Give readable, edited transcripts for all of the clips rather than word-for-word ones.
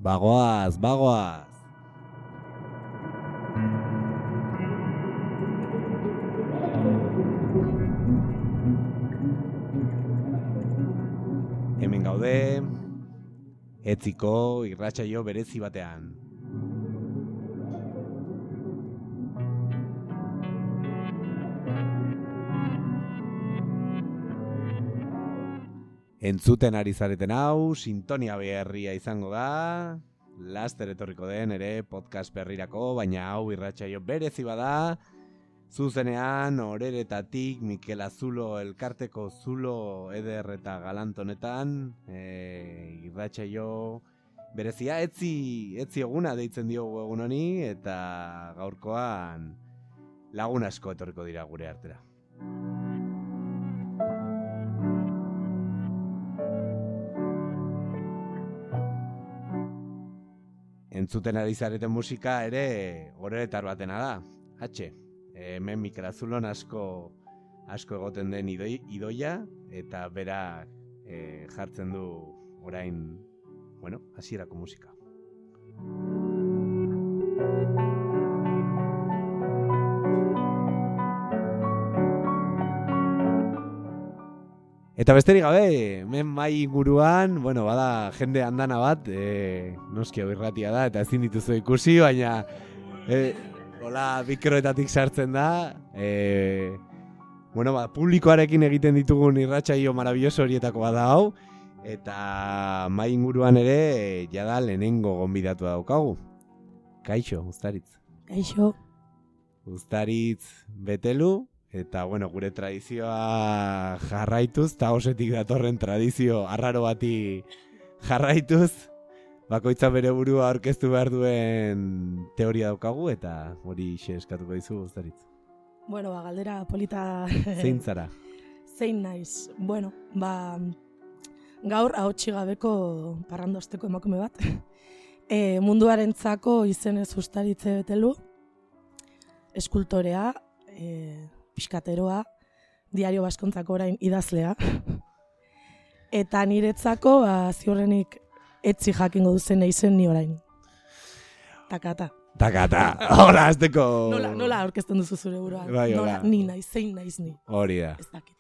Bagoaz, bagoaz. Hemen gaude, etziko irratsaio berezi batean. Entzuten ari zareten hau, sintonia berria izango da, laster etorriko den ere podcast berrirako, baina hau irratsaio berezi bada, zuzenean Oreretatik Mikel Azulo elkarteko zulo eder eta galant honetan, irratsaio berezia etzi eguna deitzen diogu egun honi, eta gaurkoan lagun asko etorriko dira gure artera. Entzuten ari zareten musika ere oreretar batena da, H. Hemen Mikel Azulon asko egoten den idoia, eta berak jartzen du orain, hasierako musika. Eta besterik gabe, hemen mai inguruan, bada jende andana bat, noski hau irratia da, eta ezin dituzu ikusi, baina hola mikroetatik sartzen da, publikoarekin egiten ditugun irratsaio maravilloso horietako bada hau, eta mai inguruan ere, jada lehenengo gonbidatu daukagu. Kaixo, Uztaritz. Kaixo. Uztaritz Betelu. Eta, gure tradizioa jarraituz, eta osetik datorren tradizio arraro bati jarraituz, bakoitza bere burua aurkeztu behar duen teoria daukagu, eta hori eskatuko dizu, Uztaritz. Galdera polita... Zein zara? Zein naiz. Gaur ahotsi gabeko parrandosteko emakume bat. Munduarentzako izenez Uztaritze Betelu, eskultorea, piskateroa, Diario Baskontzako orain idazlea. Eta niretzako, ziurrenik etzi jakingo duzen eizen ni orain. Takata. Hola, azteko... Nola aurkezten duzu zure buruan. Nola, ni naiz, zein naiz ni. Hori da. Ez dakit.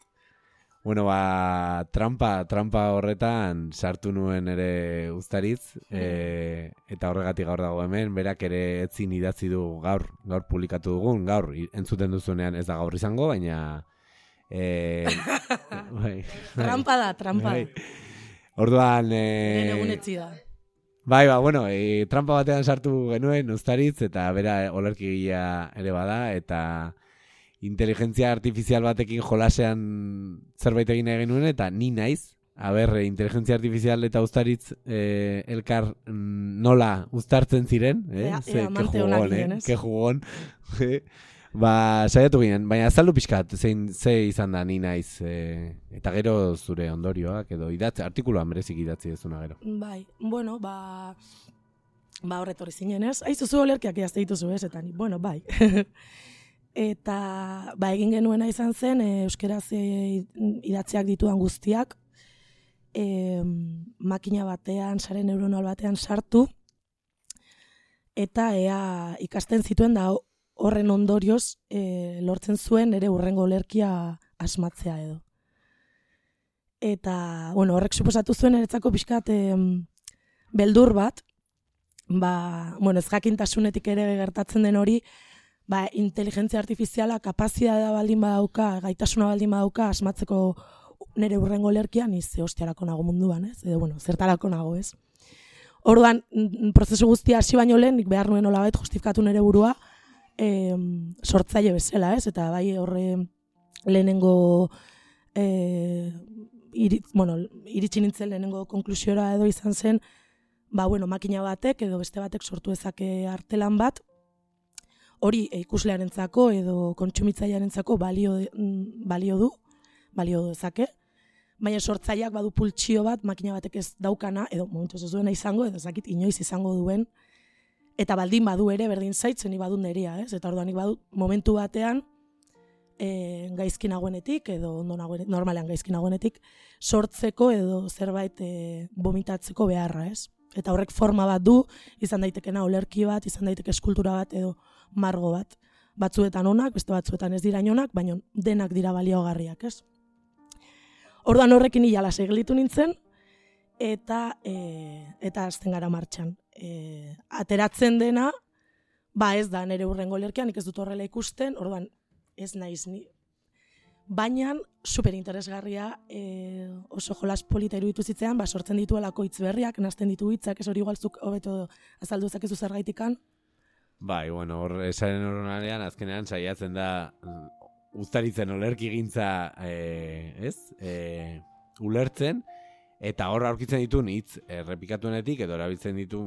Trampa horretan sartu nuen ere Uztaritz, eta horregatik gaur dago hemen, berak ere etzin idatzi du gaur publikatu dugun, gaur entzuten duzunean ez da gaur izango, baina... Trampa da. Orduan... Egun etzi da. Trampa batean sartu genuen Uztaritz, eta bera olerkigilea ere bada, eta... inteligentzia artifizial batekin jolasean zerbait egin nuen, eta ni naiz, inteligentzia artifizial eta Uztaritz elkar nola uztartzen ziren, ke jugon, saiatu ginen, baina azaldu pixkat, ze izan da ni naiz, eta gero zure ondorioak, edo artikuloan berezik idatzi dezuna gero. Horretorri zinen ez, aizuzu olerkiak jazte dituzu ez, eta bai. Eta egin genuena izan zen, euskeraz idatziak ditudan guztiak, makina batean, sare neuronal batean sartu, eta ikasten zituen da horren ondorioz lortzen zuen ere hurrengo olerkia asmatzea edo. Eta, horrek suposatu zuen eretzako pixkat beldur bat, ez jakintasunetik ere gertatzen den hori, inteligentzia artifiziala kapazitatea baldin badauka, gaitasuna baldin badauka, asmatzeko nire hurrengo olerkia, ni ze hostiarako nago munduan, ez? Edo, zertarako nago, ez? Orduan, prozesu guztia hasi baino lehen, nik behar nuen nolabait justifikatu nire burua sortzaile bezala, ez? Eta horre lehenengo iritsi nintzen lehenengo konklusiora edo izan zen, makina batek edo beste batek sortu ezake artelan bat, hori ikuslearentzako edo kontsumitzailearentzako balio dezake, baina sortzaileak badu pultsio bat makina batek ez daukana, edo momentuz ez duena izango, edo zakit inoiz izango duen, eta baldin badu ere berdin zaitzen badu neria, ez? Eta orduan badu momentu batean gaizki nagoenetik, edo normalean gaizki nagoenetik, sortzeko edo zerbait vomitatzeko beharra, ez? Eta horrek forma bat du, izan daitekena olerki bat, izan daiteke eskultura bat edo margo bat. Batzuetan onak, beste batzuetan ez dira onak, baina denak dira baliogarriak, ez? Orduan horrekin hilala seglitu nintzen, eta azten gara martxan. Ateratzen dena, ez da nire hurrengo olerkia, nik ez dut horrela ikusten, orduan ez naiz ni. Baina superinteresgarria oso jolas polita iruditu zitzean, sortzen dituelako hitz berriak, nazten ditu hitzak, ez hori igualzuk hobeto azaldu ezakezu zergaitikan. Bueno, hor esaren horrenarean azkenean saiatzen da uztaritzen olerki gintza ulertzen, eta hor aurkitzen dituen hitz errepikatuenetik edo erabiltzen ditu,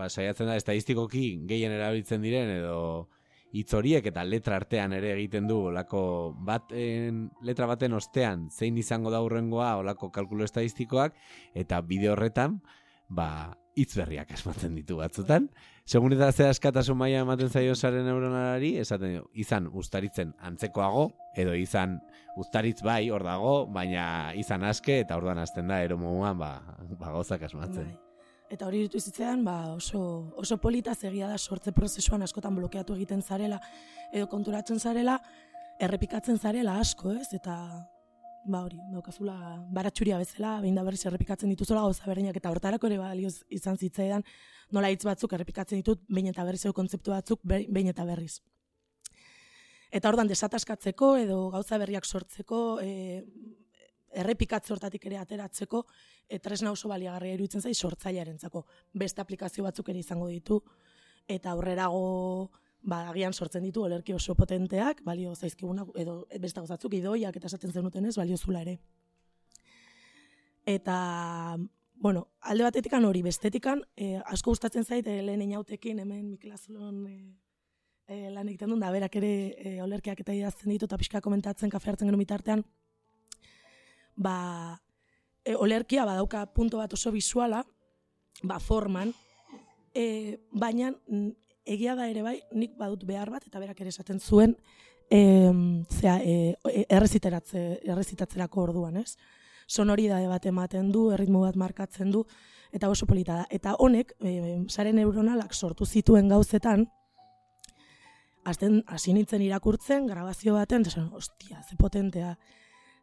saiatzen da estadistikoki gehien erabiltzen diren edo hitz horiek eta letra artean ere egiten du olako letra baten ostean zein izango da hurrengoa olako kalkulu estadistikoak, eta bideo horretan hitz berriak asmatzen ditu batzutan. Segun eta ze askatasun maila ematen zaio sare neuronalari, esaten izan uztaritzen antzekoago, edo izan uztaritz hor dago, baina izan aske, eta orduan hasten da eromoan gauzak asmatzen. Eta hori ditu zitzean, oso polita egia da sortze prozesuan askotan blokeatu egiten zarela, edo konturatzen zarela, errepikatzen zarela asko, ez? Eta hori, daukazula baratxuria bezala, behin da berriz errepikatzen dituzula gauza berdinak, eta hortarako ere balioz izan zitzaidan, nola hitz batzuk errepikatzen ditut, behin eta berriz edo kontzeptu batzuk, behin eta berriz. Eta ordan desataskatzeko edo gauza berriak sortzeko, errepikatze hortatik ere ateratzeko, tresna oso baliagarria iruditzen zai sortzailearentzako. Beste aplikazio batzuk ere izango ditu, eta aurrerago agian sortzen ditu olerki oso potenteak, balio zaizkigunak, edo beste gauzatzuk idoiak eta esaten zenutenez, baliozula ere. Eta, alde batetikan hori, bestetikan, asko gustatzen zait, lehen inautekin, hemen Mikel Azulon lan egiten duen, da berak ere olerkiak eta idazten ditu, eta pixka komentatzen, kafe hartzen genuen bitartean, olerkia badauka punto bat oso visuala, forman, baina egia da ere nik badut behar bat, eta berak ere esaten zuen, errezitatzerako orduan, ez? Sonoridade bat ematen du, erritmo bat markatzen du, eta oso polita da. Eta honek, sare neuronalak sortu zituen gauzetan, hasi nintzen irakurtzen, grabazio baten, eta ostia, ze potentea.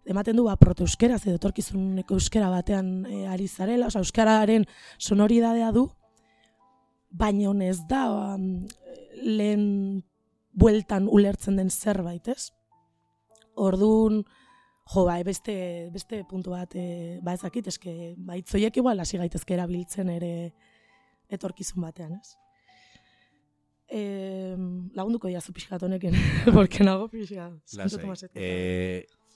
Ematen du, proto-euskeraz edo etorkizuneko euskera batean ari zarela, euskararen sonoridadea du, baina ez da lehen bueltan ulertzen den zerbait, ez? Orduan, beste puntu bat, ezakit, eske, itzoiek igual hasi gaitezke erabiltzen ere etorkizun batean, ez? Lagunduko diazu pixkat honekin, porque nago pixkat.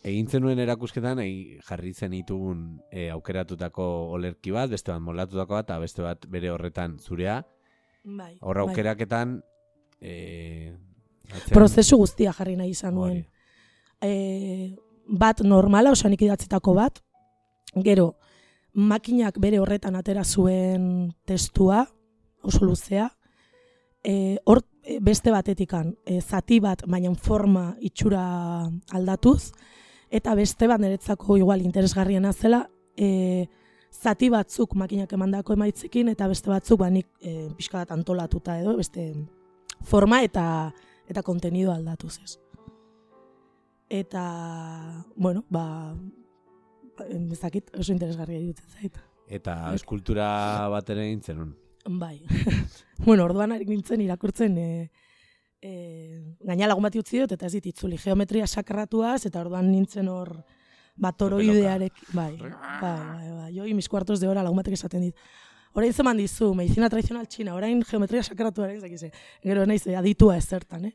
Egin zenuen erakusketan, jarri zenitun aukeratutako olerki bat, beste bat molatutako bat, eta beste bat bere horretan zurea. Horra aukeraketan... Prozesu guztia jarri nahi izan nuen. Bat normala, osanik idatzitako bat, gero, makinak bere horretan atera zuen testua, oso luzea, hor beste batetikan, zati bat, baina forma itxura aldatuz, eta beste bat niretzako igual interesgarriena zela, zati batzuk makinak emandako emaitzekin, eta beste batzuk nik pixka bat antolatuta edo, beste forma eta kontenido aldatuz ez. Eta, ezakit oso interesgarria iruditzen zait. Eta eskultura bat ere egin zenun? Bai. Orduan harik nintzen irakurtzen, gaina lagun bat utzi dut, eta ez dit itzuli geometria sakratuaz, eta orduan nintzen hor, toroidearek, jo mis cuartos de hora lagun batek esaten dit. Orain zeman dizu, medicina tradicional txina, orain geometria sakratuaren, gero naiz aditua ezertan,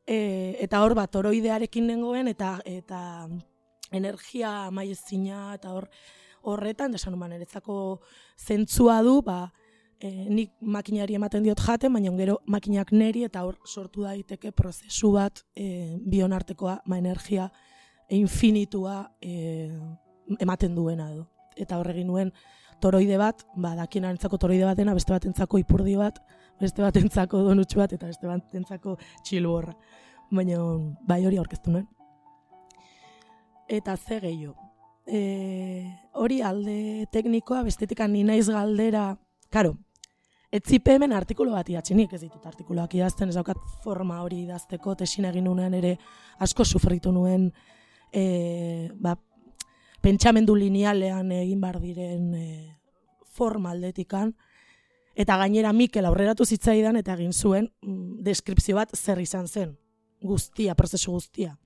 eta hor toroidearekin nengoen, eta energia maiezina, eta horretan, desan human, eretzako zentzua du, nik makinari ematen diot jaten, baina gero makinak neri, eta hor sortu daiteke prozesu bat bion artekoa, energia infinitua ematen duena edo. Eta horregin nuen toroide bat, dakien arentzako toroide batena, beste batentzako ipurdi bat, beste batentzako donutxu bat, eta beste batentzako txilborra. Baina hori aurkeztu nuen. Eta ze gehiago. Hori alde teknikoa, bestetikan ni naiz galdera karo, etzipe hemen artikulu bat idatzi, nik ez ditut artikuluak idazten, ez daukat forma hori idazteko, tesin egin nuenean ere asko sufritu nuen, pentsamendu linealean egin bar diren forma aldetikan, eta gainera Mikel aurreratu zitzaidan eta egin zuen deskripzio bat zer izan zen, guztia, prozesu guztia.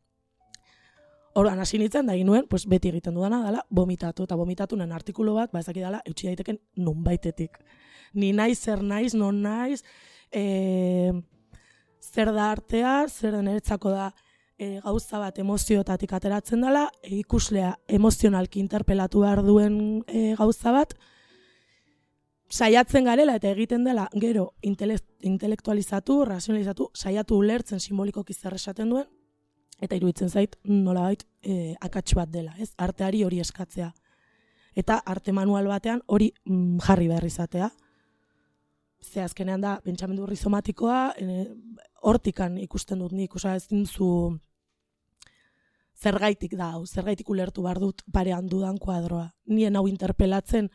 Orduan hasi nintzen da egin nuen, pues beti egiten dudana dela vomitatu, eta vomitatu nen artikulu bat, ezaki dela, eutsi daiteken nonbaitetik. Ni naiz, zer naiz, non naiz, zer da artea, zer da niretzako da gauza bat emozioetatik ateratzen dela, ikuslea emozionalki interpelatu behar duen gauza bat, saiatzen garela eta egiten dela gero intelektualizatu, razionalizatu, saiatu ulertzen simbolikoki zer esaten duen, eta iruditzen zait nolabait akats bat dela, ez? Arteari hori eskatzea. Eta arte manual batean hori jarri behar izatea. Ze azkenean da pentsamendu rizomatikoa, hortikan ikusten dut nik, ez dintzu zergaitik da, zergaitik ulertu behar dut parean dudan kuadroa. Nien hau interpelatzen,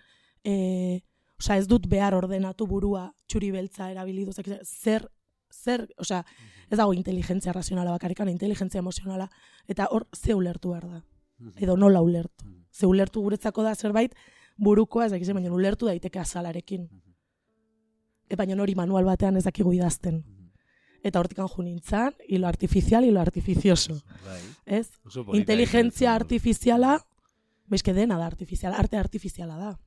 ez dut behar ordenatu burua txuri beltza erabilidu, zer, ez dago inteligentzia razionala bakarrikan, inteligentzia emozionala, eta hor ze ulertu behar da, edo nola ulertu. Ze ulertu guretzako da zerbait burukoa, ez dakizen, baina ulertu daiteke azalarekin. Baina hori manual batean ez dakigu idazten. Eta hortikan jo nintzen, hilo artifizial, hilo artificioso. Ez? Inteligentzia artifiziala, bezke dena da artifiziala, arte artifiziala da.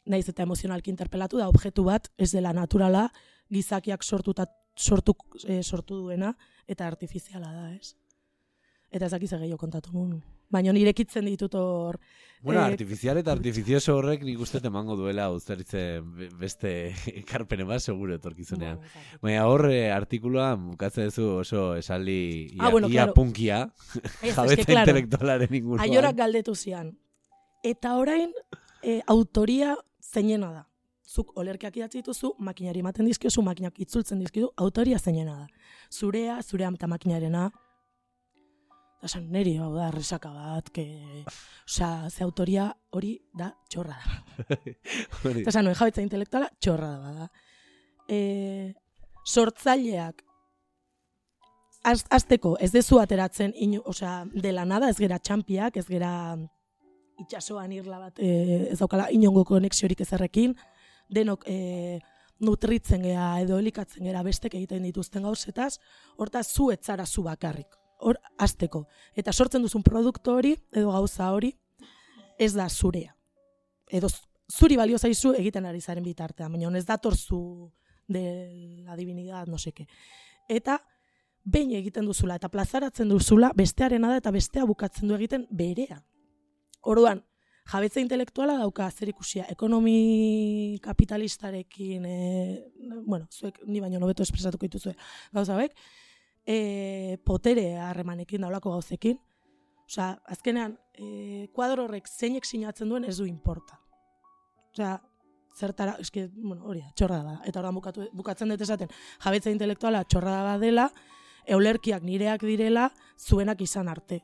Naiz eta emozionalki interpelatu da, objektu bat ez dela naturala, gizakiak sortu duena, eta artifiziala da, ez? Eta ezak izan gehiago kontatu nun. Baina nirekitzen ditut hor... Bueno, artifizial eta artifizioso horrek nik uste emango duela uztaritze beste ekarpene bat seguro etorkizunean. Baina hor artikulua bukatzen duzu oso esaldi ia punkia, jabetza intelektualaren inguruan. Aiorak galdetu zian. Eta orain autoria zeinena da. Zuk olerkiak idatzi dituzu, makinari ematen dizkiozu, makinak itzultzen dizkidu, autoria zeinena da. Zurea eta makinarena, esan neri, da, resaka bat, ze autoria hori da txorra da. Eta esan nuen jabetza intelektuala txorra da. Sortzaileak, azteko ez dezu ateratzen, dela nada, ez gera txampiak, ez gera itxasoan irla bat, ez daukala inongo konexiorik ezerrekin, denok nutritzen gera edo elikatzen gera bestek egiten dituzten gauzetaz, hortaz zu etzara zu bakarrik. Hor, azteko. Eta sortzen duzun produktu hori, edo gauza hori, ez da zurea. Edo zuri balio zaizu egiten ari zaren bitartean, baina ez datorzu de la divinidad, no seke. Eta behin egiten duzula, eta plazaratzen duzula, bestearena da, eta bestea bukatzen du egiten berea. Orduan, jabetza intelektuala dauka zerikusia ekonomi kapitalistarekin, zuek ni baino hobeto espresatuko dituzue gauza hauek, potere harremanekin daulako gauzekin. Azkenean, kuadro horrek zeinek sinatzen duen ez du importa. Zertara, hori da, txorra da. Eta orain bukatzen dut esaten, jabetza intelektuala txorra da dela, eulerkiak nireak direla, zuenak izan arte.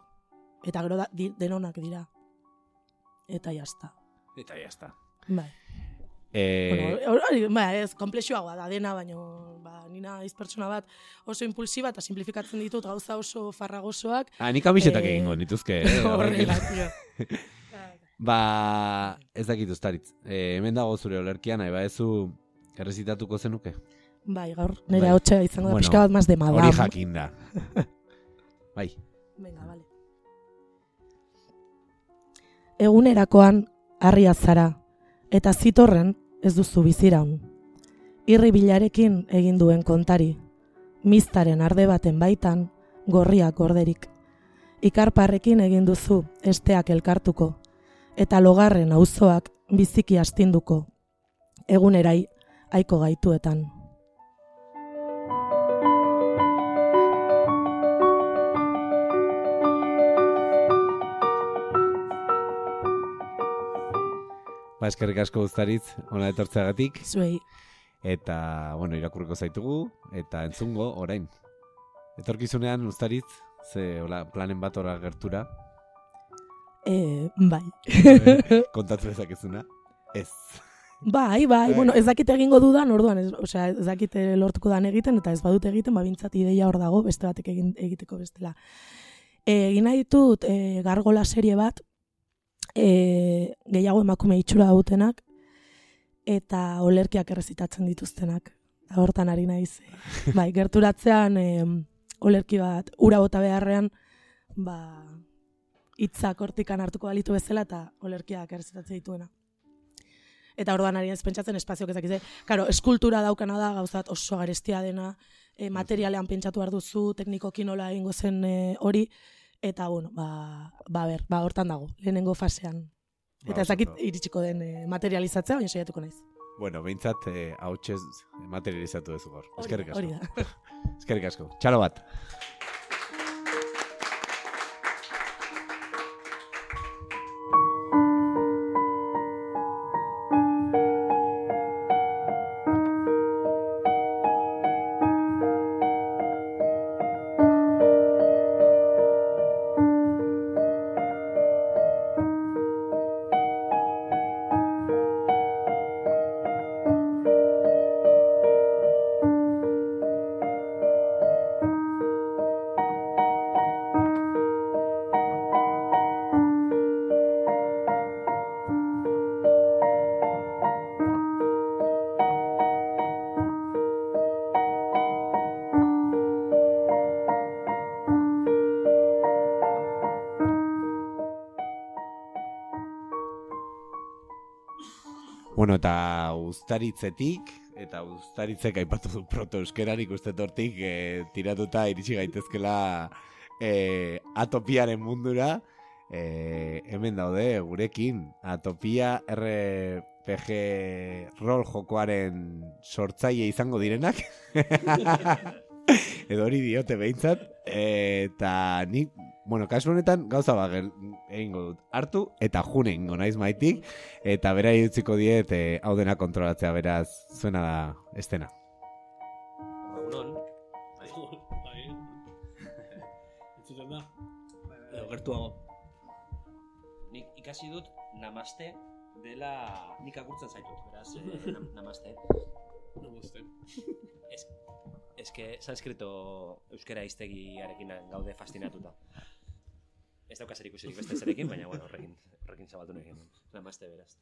Eta gero denonak dira. Eta jazta. Bai. Ez, komplexuagoa da dena, baina nina naiz pertsona bat oso impulsiba eta simplifikatzen ditut gauza oso farragosoak. Nik kamisetak egingo nituzke. Horrela, ez dakit Uztaritz. Hemen dago zure olerkian, nahi baezu errezitatuko zenuke? Bai, gaur nire hotxa izango da pixka bat maz de madam. Hori jakin da. Bai. Venga, vale. Egunerakoan harria zara, eta zitorren ez duzu biziraun. Irri bilarekin egin duen kontari, miztaren arde baten baitan, gorriak gorderik. Ikarparrekin egin duzu esteak elkartuko, eta logarren auzoak biziki astinduko, egunerai aiko gaituetan. Eskerrik asko Uztaritz, hona etortzeagatik. Zuei. Eta, irakurriko zaitugu, eta entzungo orain. Etorkizunean Uztaritz, planen bat ora gertura? Bai. Kontatu dezakezuna? Ez. Bai, bueno, ez dakit egingo dudan, orduan, ez dakit lortuko dan egiten, eta ez badut egiten, bintzat ideia hor dago, beste batek egiteko bestela. Egin nahi ditut Gargola serie bat, gehiago emakume itxura dutenak, eta olerkiak errezitatzen dituztenak. Hortan ari naiz. Bai, gerturatzean olerki bat, ura bota beharrean, hitzak hortikan hartuko balitu bezala, eta olerkiak errezitatzen dituena. Eta orduan ari naiz pentsatzen espazioak ezakize. Karo, eskultura daukana da, gauzat oso garestia dena, materialean pentsatu behar duzu, teknikoki nola egingo zen hori, eta, bueno, hortan dago, lehenengo fasean. Eta ezakit iritsiko den materializatzea, baina saiatuko naiz. Bueno, behintzat, hautsez materializatu duzu gaur. Eskerrik asko. Hori da. Eskerrik asko. Txalo bat. Bueno, eta Uztaritzetik, eta Uztaritzek aipatu du proto-euskeran ikusten hortik tiratuta iritsi gaitezkela Atopiaren mundura. Hemen daude gurekin Atopia RPG rol jokoaren sortzaile izango direnak. Edo hori diote behintzat. Eta nik, bueno, kasu honetan gauza egingo dut. Hartu eta june egingo naiz maitik. Eta bera utziko diet hau dena kontrolatzea, beraz zuena da estena. Egunon. Bai. Entzuten da? Gertuago. Nik ikasi dut namaste dela nik agurtzen zaitut, beraz, namaste. Namaste. Ez que sanskrito euskera hiztegiarekin gaude fascinatuta. Ez dauka zer ikusirik beste zerekin, baina bueno, horrekin zabaldu nahi genuen. Namaste, beraz.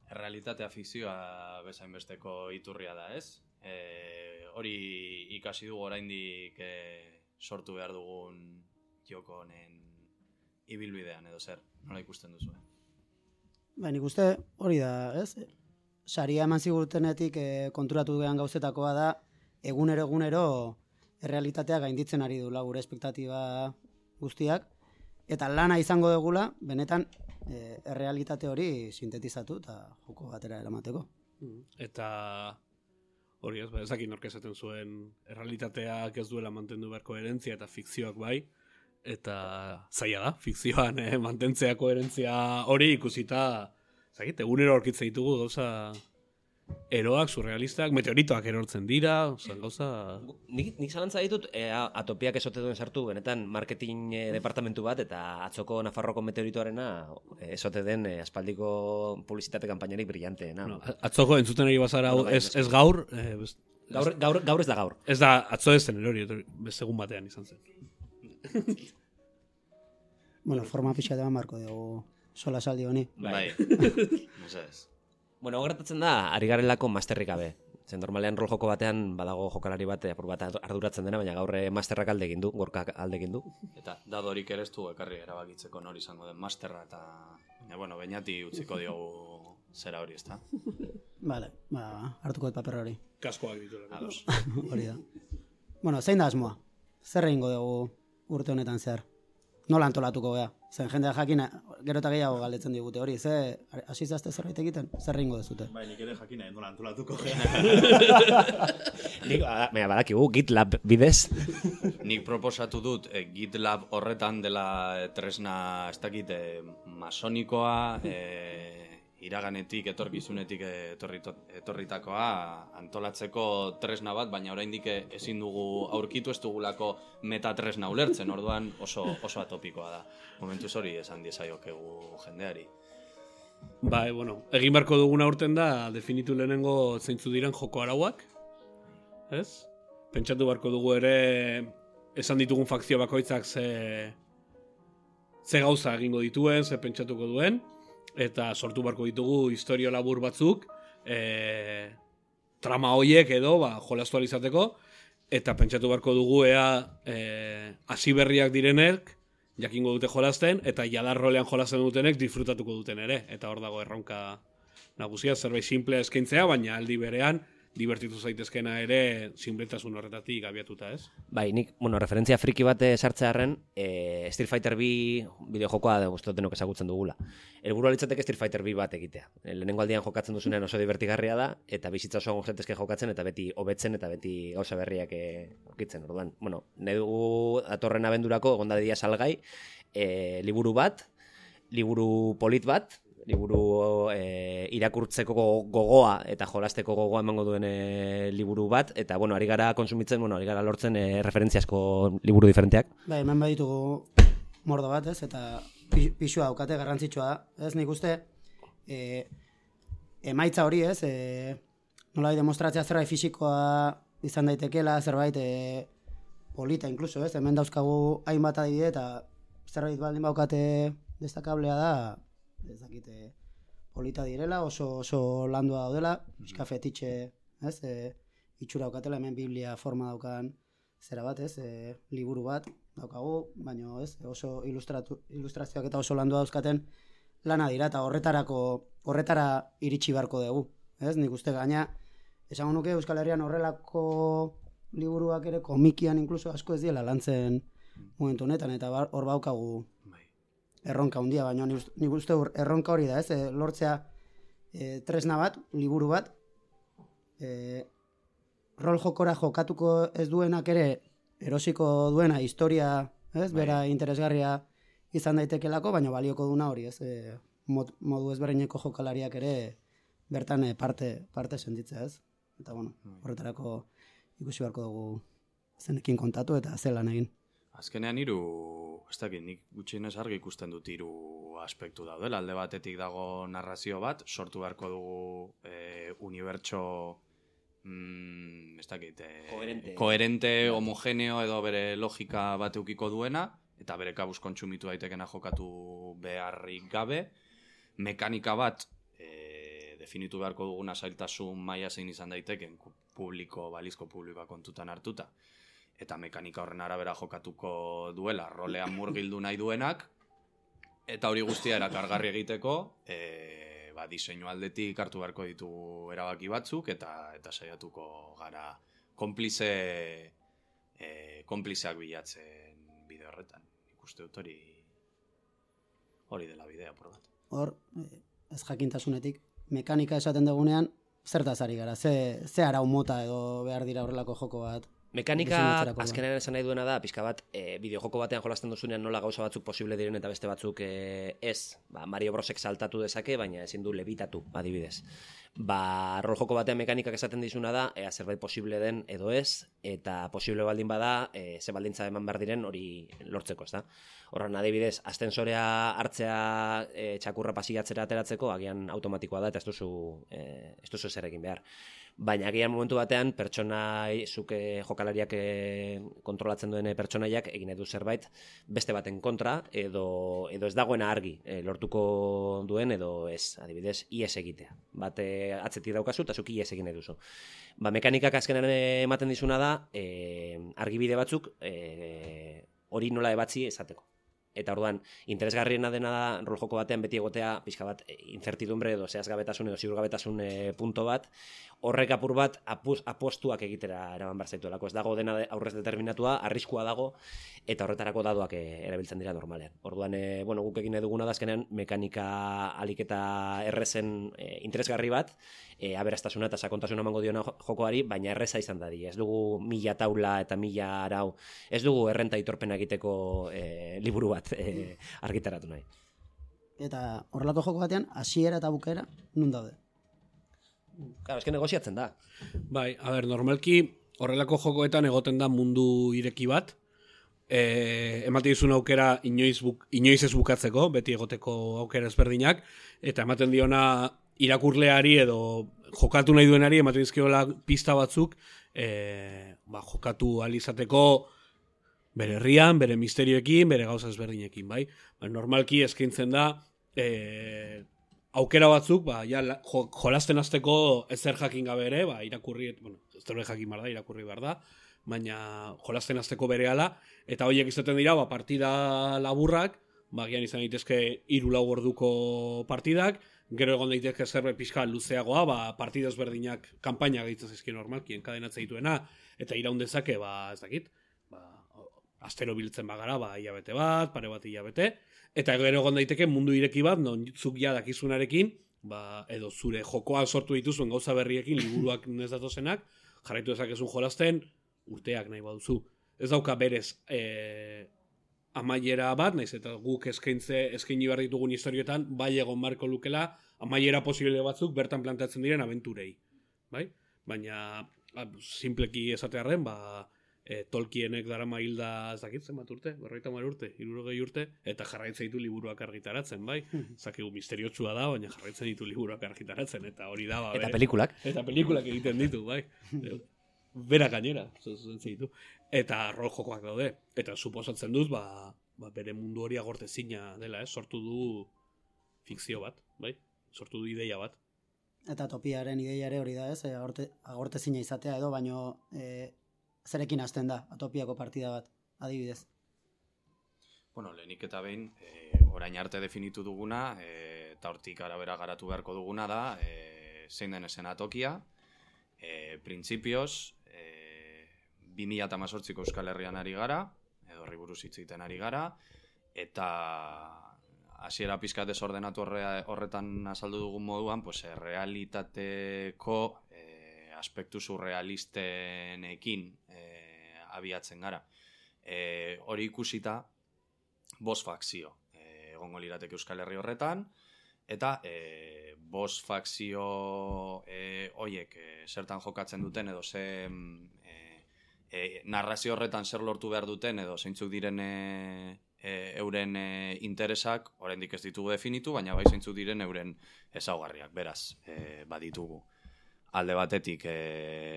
Errealitatea fikzioa bezain besteko iturria da, ez? Hori ikasi dugu oraindik sortu behar dugun joko honen ibilbidean edo zer, nola ikusten duzu? Nik uste hori da, ez? Saria eman zigutenetik konturatu dugu gauzetakoa da, egunero errealitatea gainditzen ari dula gure espektatiba guztiak, eta lana izango dugula, benetan errealitate hori sintetizatu eta joko batera eramateko. Eta hori ez dakit nork esaten zuen errealitateak ez duela mantendu behar koherentzia eta fikzioak bai, eta zaila da, fikzioan mantentzea koherentzia hori ikusita, zakit, egunero aurkitzen ditugu gauza eroak, surrealistak, meteoritoak erortzen dira, gauza... Nik zalantza ditut, Atopiak esote duen sartu, benetan marketing departamentu bat, eta atzoko Nafarroko meteoritoarena esote den aspaldiko publizitate kanpainarik brillanteena. No, atzoko entzuten ari bazara ez gaur... Gaur ez da gaur. Ez da, atzo ez zen erori, segun batean izan zen. Bueno, forma pixa deban marko dugu sola saldi honi. Bai. Bueno, gertatzen da, ari garelako masterrik gabe. Zen normalean rol joko batean badago jokalari bat apur bat arduratzen dena, baina gaur masterrak alde egin du, gorkak alde egin du. Eta dadorik ere ez du ekarri erabakitzeko nori izango den masterra eta bueno, Beñati utziko diogu zera hori, ezta? Vale, hartuko dut paper hori. Kaskoak ditu. Hori da. Bueno, zein da asmoa? Zer egingo dugu urte honetan zer? Nola antolatuko gea? Zen jendea jakin, gero eta gehiago galdetzen digute hori, hasi zazte zerbait egiten? Zer egingo dezute? Bai, nik ere jakina nola antolatuko gea. Nik, badakigu, GitLab bidez. Nik proposatu dut, GitLab horretan dela tresna, ez dakit, masonikoa, iraganetik, etorkizunetik etorritakoa antolatzeko tresna bat, baina oraindik ezin dugu aurkitu, ez dugulako metatresna ulertzen, orduan oso atopikoa da. Momentuz hori esan diezaiokegu jendeari. Bai, bueno, egin beharko duguna urten da, definitu lehenengo zeintzu diren joko arauak, ez? Pentsatu beharko dugu ere, esan ditugun fakzio bakoitzak ze gauza egingo dituen, ze pentsatuko duen, eta sortu beharko ditugu historio labur batzuk, trama hoiek edo, jolastu ahal izateko, eta pentsatu beharko dugu ea hasi berriak direnek, jakingo dute jolasten, eta jadar rolean jolasten dutenek disfrutatuko duten ere. Eta hor dago erronka nagusia, zerbait simplea eskaintzea, baina aldi berean, divertitu zaitezkena ere sinpletasun horretatik abiatuta, ez? Bai, nik, referentzia friki bat sartzearren, Street Fighter 2 bideojokoa guztot denok ezagutzen dugula. Helburua litzateke Street Fighter 2 bat egitea. Lehenengo aldian jokatzen duzunean oso divertigarria da, eta bizitza osoan gozatezke jokatzen, eta beti hobetzen, eta beti gauza berriak aurkitzen. Orduan, nahi dugu datorren abendurako, egon dadila salgai, liburu bat, liburu polit bat, liburu irakurtzeko gogoa eta jolasteko gogoa emango duen liburu bat, eta ari gara konsumitzen, ari gara lortzen referentziazko liburu diferenteak. Bai, hemen baditugu mordo bat, ez, eta pixua daukate garrantzitsua, ez, nik uste emaitza hori, ez, nola demostratzea zerbait fisikoa izan daitekela, zerbait polita inkluso, ez, hemen dauzkagu hainbat adibide, eta zerbait baldin baukate destakablea da, ez dakite polita direla, oso landua daudela, pixka fetitxe, ez, itxura daukatela, hemen biblia forma daukan zera bat, ez, liburu bat daukagu, baina ez, oso ilustrazioak eta oso landua dauzkaten lana dira, eta horretara iritsi beharko dugu, ez, nik uste gaina, esango nuke Euskal Herrian horrelako liburuak ere komikian inkluso asko ez diela lantzen momentu honetan, eta hor baukagu erronka handia, baina nik uste erronka hori da, ez? Lortzea tresna bat, liburu bat, rol jokora jokatuko ez duenak ere erosiko duena historia, ez? Bera interesgarria izan daitekelako, baina balioko duna hori, ez? Modu ezberdineko jokalariak ere bertan parte sentitzea, ez? Eta horretarako ikusi beharko dugu zenekin kontatu eta zelan egin. Azkenean ez dakit, nik gutxienez argi ikusten dut 3 aspektu daudela. Alde batetik dago narrazio bat, sortu beharko dugu unibertso ez dakit, koherente, homogeneo edo bere logika bat eukiko duena, eta bere kabuz kontsumitu daitekena jokatu beharrik gabe. Mekanika bat definitu beharko duguna zailtasun maila zein izan daiteken balizko publikoa kontutan hartuta. Eta mekanika horren arabera jokatuko duela, rolean murgildu nahi duenak, eta hori guztia erakargarri egiteko, diseinu aldetik hartu beharko ditugu erabaki batzuk, eta saiatuko gara konplizeak bilatzen bide horretan. Ikuste dut hori dela bidea, por bat. Hor, ez jakintasunetik, mekanika esaten dugunean, zertaz ari gara, ze arau mota edo behar dira horrelako joko bat? Mekanika azkenean esan nahi duena da, pixka bat, bideojoko batean jolasten duzunean nola gauza batzuk posible diren eta beste batzuk ez. Mario Brosek saltatu dezake, baina ezin du lebitatu, adibidez. Rol joko batean mekanikak esaten dizuna da, zerbait posible den edo ez, eta posible baldin bada, ze baldintza eman behar diren hori lortzeko, ez da? Horren adibidez, astensorea hartzea txakurra pasiatzera ateratzeko, agian automatikoa da eta ez duzu zer egin behar. Baina agian momentu batean zuke jokalariak kontrolatzen duen pertsonaiak egin edu zerbait beste baten kontra edo ez dagoena argi lortuko duen edo ez, adibidez, ies egitea. Bate atzetik daukazu eta zuki ies egin eduzu. Mekanikak azkenan ematen dizuna da argibide batzuk hori nola ebatzi esateko. Eta orduan, interesgarriena dena da rol joko batean beti egotea pixka bat incertidumbre edo zehazgabetasun edo ziurgabetasun punto bat, horrek apur bat apostuak egitera eraman behar zaituelako. Ez dago dena aurrez determinatua, arriskua dago, eta horretarako dadoak erabiltzen dira normalean. Orduan, guk egin eduguna da azkenean mekanika alik eta errezen interesgarri bat, aberastasuna eta sakontasuna emango diona jokoari, baina erreza izan dadi. Ez dugu 1000 taula eta 1000 arau, ez dugu errenta itorpena egiteko liburu bat argitaratu nahi. Eta horrelako joko batean, hasiera eta bukaera, nun daude? Claro, eske negoziatzen da. Bai, normalki horrelako jokoetan egoten da mundu ireki bat, ematen dizun aukera inoiz ez bukatzeko, beti egoteko aukera ezberdinak, eta ematen diona irakurleari edo jokatu nahi duenari ematen dizkiola pista batzuk, jokatu ahal izateko bere herrian, bere misterioekin, bere gauza ezberdinekin, bai? Normalki eskaintzen da aukera batzuk, jolasten hasteko ezer jakin gabe ere, irakurri, ez jakin behar da, irakurri behar da, baina jolasten hasteko berehala, eta horiek izaten dira, partida laburrak, gian izan daitezke 3-4 orduko partidak, gero egon daitezke zerbait pixka luzeagoa, partida ezberdinak kanpaina gehitzen zaizki normalki, enkadenatzen dituena, eta iraun dezake, ez dakit, astero biltzen bagara, hilabete bat, pare bat hilabete, eta gero egon daiteke mundu ireki bat, non zuk ja dakizunarekin, edo zure jokoan sortu dituzuen gauza berriekin, liburuak ez datozenak, jarraitu dezakezun jolasten, urteak nahi baduzu. Ez dauka berez amaiera bat, naiz eta guk eskaini behar ditugun historioetan, bai egon marko lukela, amaiera posible batzuk bertan plantatzen diren abenturei. Bai? Baina, simpleki esatearren, Tolkienek darama hilda ez dakit zenbat urte, 50 urte, 60 urte, eta jarraitzen ditu liburuak argitaratzen, bai? Zakigu misteriotsua da, baina jarraitzen ditu liburuak argitaratzen, eta hori da, eta pelikulak. Eta pelikulak egiten ditu, bai? Bera gainera, ditu. Eta rol jokoak daude. Eta suposatzen dut, bere mundu hori agortezina dela, sortu du fikzio bat, bai? Sortu du ideia bat. Eta topiaren ideiare hori da, ez? Agortezina izatea edo, baino zerekin hasten da, atopiako partida bat, adibidez. Bueno, lehenik eta behin, orain arte definitu duguna, eta hortik arabera garatu beharko duguna da, zein den eszenatokia, printzipioz, 2018ko Euskal Herrian ari gara, edo horri buruz hitz egiten ari gara, eta hasiera pizka desordenatu horretan azaldu dugun moduan, realitateko aspektu surrealistenekin abiatzen gara. Hori ikusita, 5 fakzio egongo lirateke Euskal Herri horretan, eta 5 fakzio horiek zertan jokatzen duten, edo narrazio horretan zer lortu behar duten, edo zeintzuk diren euren interesak, oraindik ez ditugu definitu, baina bai zeintzuk diren euren ezaugarriak, beraz, baditugu. Alde batetik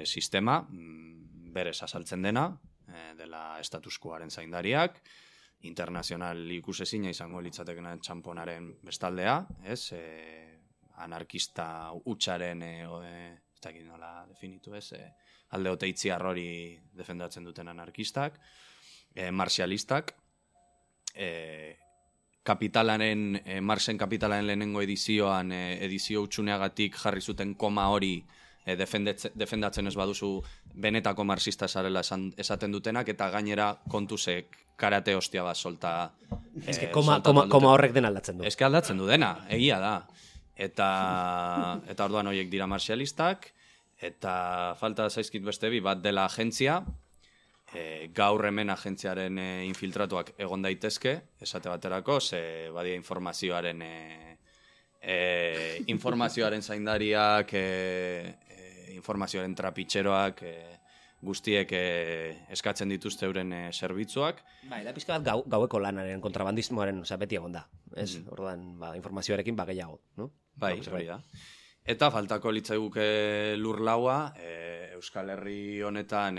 sistema, berez azaltzen dena, dela status quoaren zaindariak, internazional ikusezina izango litzatekena txamponaren bestaldea, ez? Anarkista hutsaren, ez dakit nola definitu, ez? Alde oteitziar hori defendatzen duten anarkistak, marxialistak, Kapitalaren, Marxen Kapitalaren lehenengo edizioan, edizio hutsuneagatik jarri zuten koma hori defendatzen ez baduzu benetako marxista zarela esaten dutenak, eta gainera kontuzek karate hostia bat solta. Ez que koma horrek den aldatzen du. Ez que aldatzen du dena, egia da. Eta orduan horiek dira marxialistak, eta falta zaizkit beste bat dela agentzia, gaur hemen agentziaren infiltratuak egon daitezke, esate baterako, ze badia informazioaren zaindariak, informazioaren trapitxeroak, guztiek eskatzen dituzte euren zerbitzuak. Da pizka bat gaueko lanaren kontrabandismoaren beti egon da. Orduan, informazioarekin gehiago, no? Bai, hori da. Eta faltako litzaiguke lurlaua, Euskal Herri honetan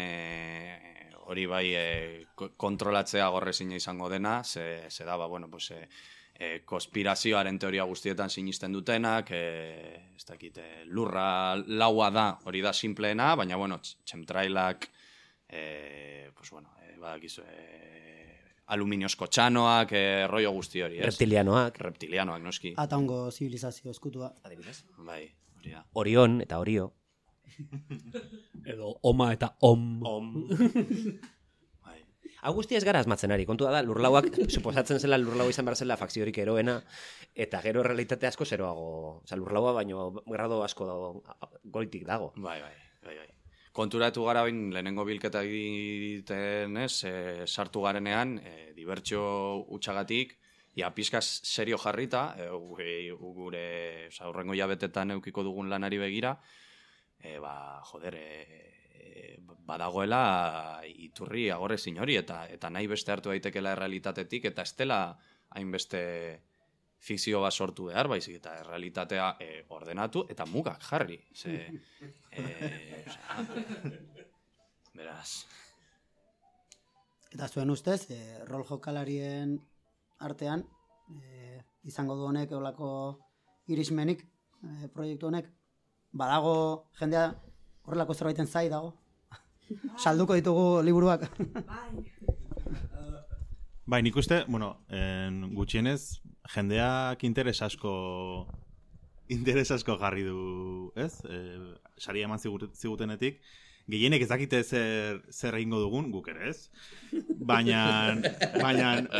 hori bai kontrolatzea gorrezina izango dena, ze da, konspirazioaren teoria guztietan sinisten dutenak, ez dakit, lurra laua da, hori da simpleena, baina, txemtrailak, badakizu, aluminiozko txanoak, rollo guzti hori, ez? Reptilianoak, noski. Ataungo zibilizazio eskutua. Adibidez. Bai, hori da. Orion eta Orio. Edo oma eta om. Hau guztia ez gara asmatzen ari, kontua da, lurlauak, suposatzen zela lurlaua izan behar zela fakziorik eroena, eta gero realitate asko zeroago, lurlaua baino grado asko goitik dago. Bai. Konturatu gara bain lehenengo bilketa egiten, sartu garenean, dibertsio utxagatik, pizka serio jarrita, gure aurrengo jabetetan eukiko dugun lanari begira, badagoela iturri agorrezin hori, eta nahi beste hartu daitekela errealitatetik, eta ez dela hainbeste fikzio bat sortu behar, baizik eta errealitatea ordenatu eta mugak jarri. Beraz. Eta zuen ustez, rol jokalarien artean, izango du honek eolako irismenik proiektu honek, badago jendea horrelako zerbaiten zai dago. Salduko ditugu liburuak. Bai, nik uste, gutxienez, jendeak interes asko jarri du, ez? Saria eman zigutenetik, gehienek ez dakite zer egingo dugun, guk ere, ez? Baina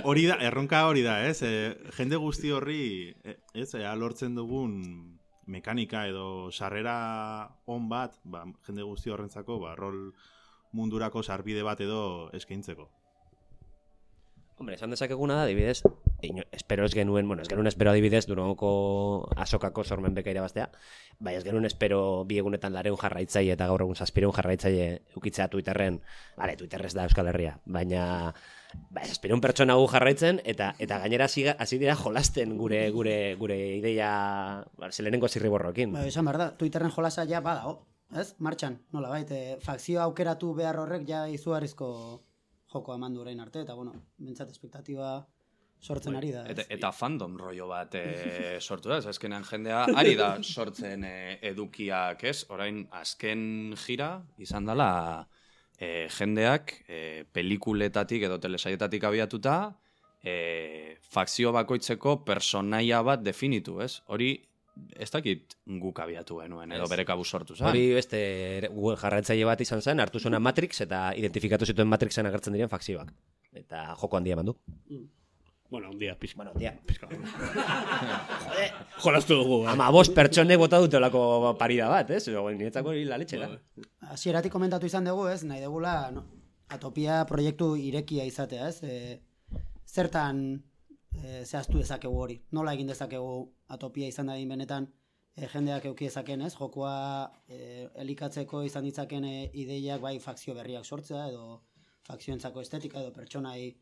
hori da, erronka hori da, ez? Jende guzti horri, ez? Lortzen dugun mekanika edo sarrera on bat, jende guzti horrentzako, rol mundurako sarbide bat edo eskaintzeko. Hombre, esan dezakeguna da, adibidez, espero adibidez, Durangoko azokako sormen beka irabaztea, bai ez genuen espero bi egunetan 200 jarraitzaile eta gaur egun 700 jarraitzaile eukitzea Twitterren, Twitterrez da Euskal Herria, baina 700 pertsona gu jarraitzen, eta gainera hasi dira jolasten gure ideia zelenengo zirriborroekin. Esan behar da, Twitterren jolasa ja badago, ez? Martxan, nola fakzioa aukeratu behar horrek ja izugarrizko joko eman du orain arte, eta bentsat espektatiba sortzen ari da. Eta fandom rollo bat sortu da, azkenean jendea ari da sortzen edukiak, ez? Orain azken jira izan dela jendeak pelikuletatik edo telesaietatik abiatuta fakzio bakoitzeko personaia bat definitu, ez? Hori ez dakit guk abiatu genuen, edo bere kabuz sortu zen. Hori beste Google jarraitzaile bat izan zen, hartu zuena Matrix eta identifikatu zituen Matrixen agertzen diren fakzioak. Eta joko handia eman du. Handia, pixka. Jode, jolastu dugu. 15 pertsonek bota dutelako parida bat, ez? Niretzako hori laletxera. Hasieratik komentatu izan dugu, ez? Nahi dugula Atopia proiektu irekia izatea, ez? Zertan zehaztu dezakegu hori. Nola egin dezakegu Atopia izan dadin benetan jendeak euki dezaken, ez? Jokoa elikatzeko izan ditzaken ideiak bai fakzio berriak sortzea edo fakzioentzako estetika edo pertsonai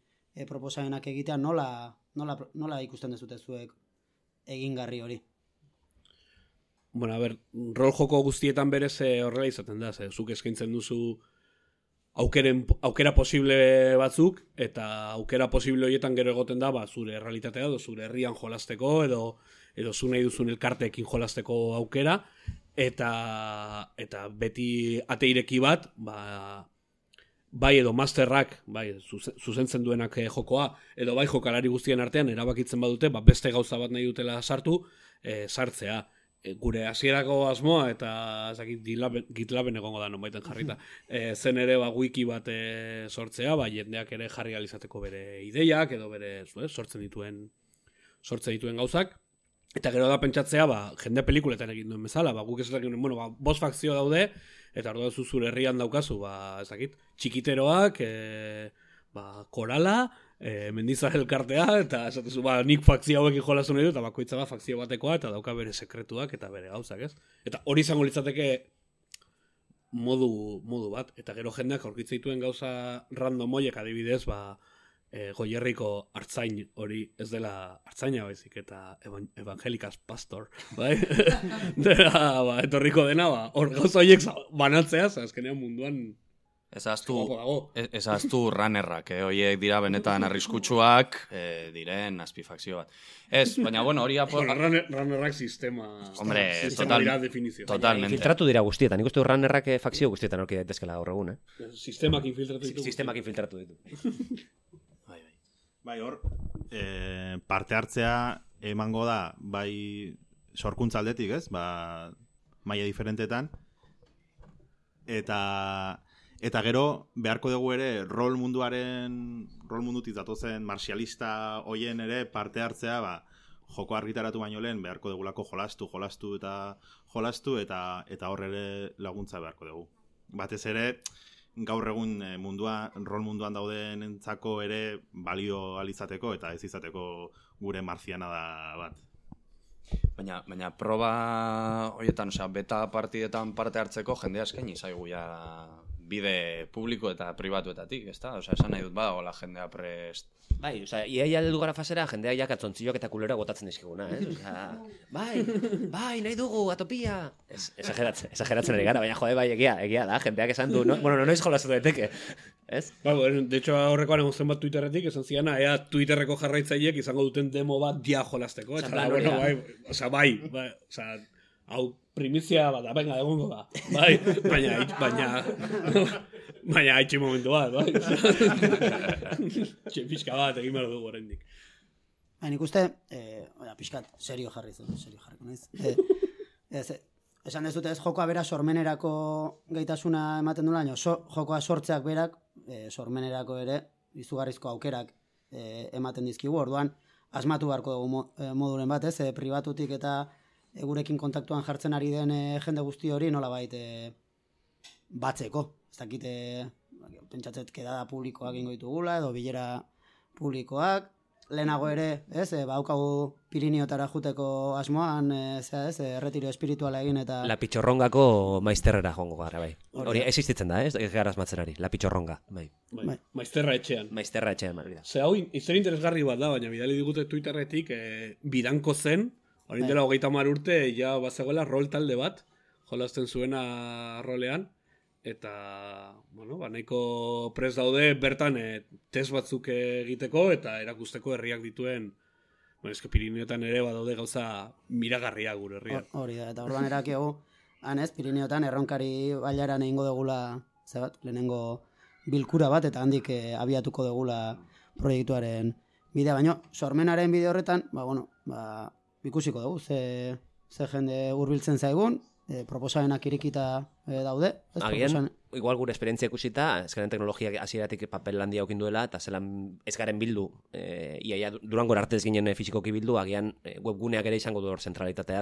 proposamenak egitea, nola ikusten dezute zuek egingarri hori? Rol joko guztietan berez horrela izaten da, zuk eskaintzen duzu aukera posible batzuk, eta aukera posible horietan gero egoten da, zure realitatea edo zure herrian jolasteko, edo zu nahi duzun elkarteekin jolasteko aukera, eta beti ate ireki bat, bai edo masterrak, bai zuzentzen duenak jokoa, edo bai jokalari guztien artean erabakitzen badute, beste gauza bat nahi dutela sartu, sartzea. Gure hasierako asmoa, eta GitLaben egongo da nonbaiten jarrita, zen ere wiki bat sortzea, jendeak ere jarri alizateko bere ideiak, edo bere sortzen dituen gauzak, eta gero da pentsatzea, jende pelikuletan egin duen bezala, guk ez dakit, bost fakzio daude, eta orduan zure herrian daukazu, txikiteroak, korala, Mendizar elkartea, eta esatezu, nik fakzio hauekin jolazu nahi du, eta bakoitza fakzio batekoa, eta dauka bere sekretuak, eta bere gauzak, ez? Eta hori izango litzateke modu bat, eta gero jendeak aurkitzen dituen gauza random hoiek adibidez, Goierriko artzain hori ez dela artzaina baizik, eta evangelikas pastor, bai? Etorriko dena, hor gauza horiek banatzea, azkenean munduan ezaztu runnerrak, horiek dira benetan arriskutsuak diren azpifakzio bat. Ez, baina hori runnerrak sistema dira definizio. Totalmente. Filtratu dira guztietan, nik uste du runnerrak fakzio guztietan aurki daitezkela gaur egun, Sistemak infiltratu ditu. Bai, hor, parte hartzea emango da, bai, sorkuntza aldetik, ez? Maila diferentetan. Eta gero, beharko dugu ere, rol mundutik datozen martialista hoien ere parte hartzea, joko argitaratu baino lehen, beharko dugulako jolastu eta hor ere laguntza beharko dugu. Batez ere, gaur egun rol munduan dauden entzako ere balio alizateko eta ez izateko gure marzianada bat. Baina proba horietan, beta partidetan parte hartzeko jendea eskaini zaigu bide publiko eta pribatuetatik, ezta? Osea, esan nahi dut badagoela jendea prest. Bai, osea, iaia heldu gara fasera, jendea ja katzontziloak eta kulera botatzen dizkiguna, Osea, bai, nahi dugu, atopia. Exageratzen ari gara, baina jode, bai, egia da, jendeak esan du, no? Bueno, noiz jolaztu daiteke, ez? Ba, de hecho, aurrekoan egon zenbat Twitterretik, esan ziana, ea Twitterreko jarraitzaileek izango duten demo bat dia jolazteko, eta bueno, bai, hau primizia bat, venga, egongo da, bai, baina haitxe momentu bat, bai. Pixka bat, egin behar dugu oraindik. Nik uste, pixkat, serio jarriko naiz. Esan ez dute ez jokoa bera sormenerako gaitasuna ematen dula, jokoa sortzeak berak, sormenerako ere, izugarrizko aukerak ematen dizkigu, orduan, asmatu beharko dugu moduren bat, ez, pribatutik eta gurekin kontaktuan jartzen ari den jende guzti hori nolabait batzeko. Ez dakite, pentsatzet kedada publikoak ingo ditugula, edo bilera publikoak. Lehenago ere, haukagu Pirineotara juteko asmoan, erretiro espirituala egin eta... La Pitxorrongako maizterrera joango gara, bai. Hori existitzen da, ez gara asmatzerari, La Pitxorronga, bai. Maizterra etxean. Maizterra etxean, bai. Ze hau, izan interesgarri bat da, baina bidali digute Twitterretik, bidanko zen, hori dela 30 urte, ja bazegoela rol talde bat, jolazten zuena rolean, eta, bueno, nahiko prest daude bertan test batzuk egiteko eta erakusteko herriak dituen, eske Pirineotan ere badaude gauza miragarria gure herriak. Hori da, eta orduan erakiagu, Pirineotan erronkari bailaran egingo degula, lehenengo bilkura bat, eta handik abiatuko degula proiektuaren bidea, baina sormenaren bide horretan, ikusiko dugu, ze jende hurbiltzen zaigun, proposamenak irikita daude. Agian, igual gure esperientzia ikusita, ezkaren teknologia hasieratik papel handia aukin duela, eta zelan ez garen bildu, iaia Durangor arte ez ginen fizikoki bildu, agian webguneak ere izango du hor zentralitatea,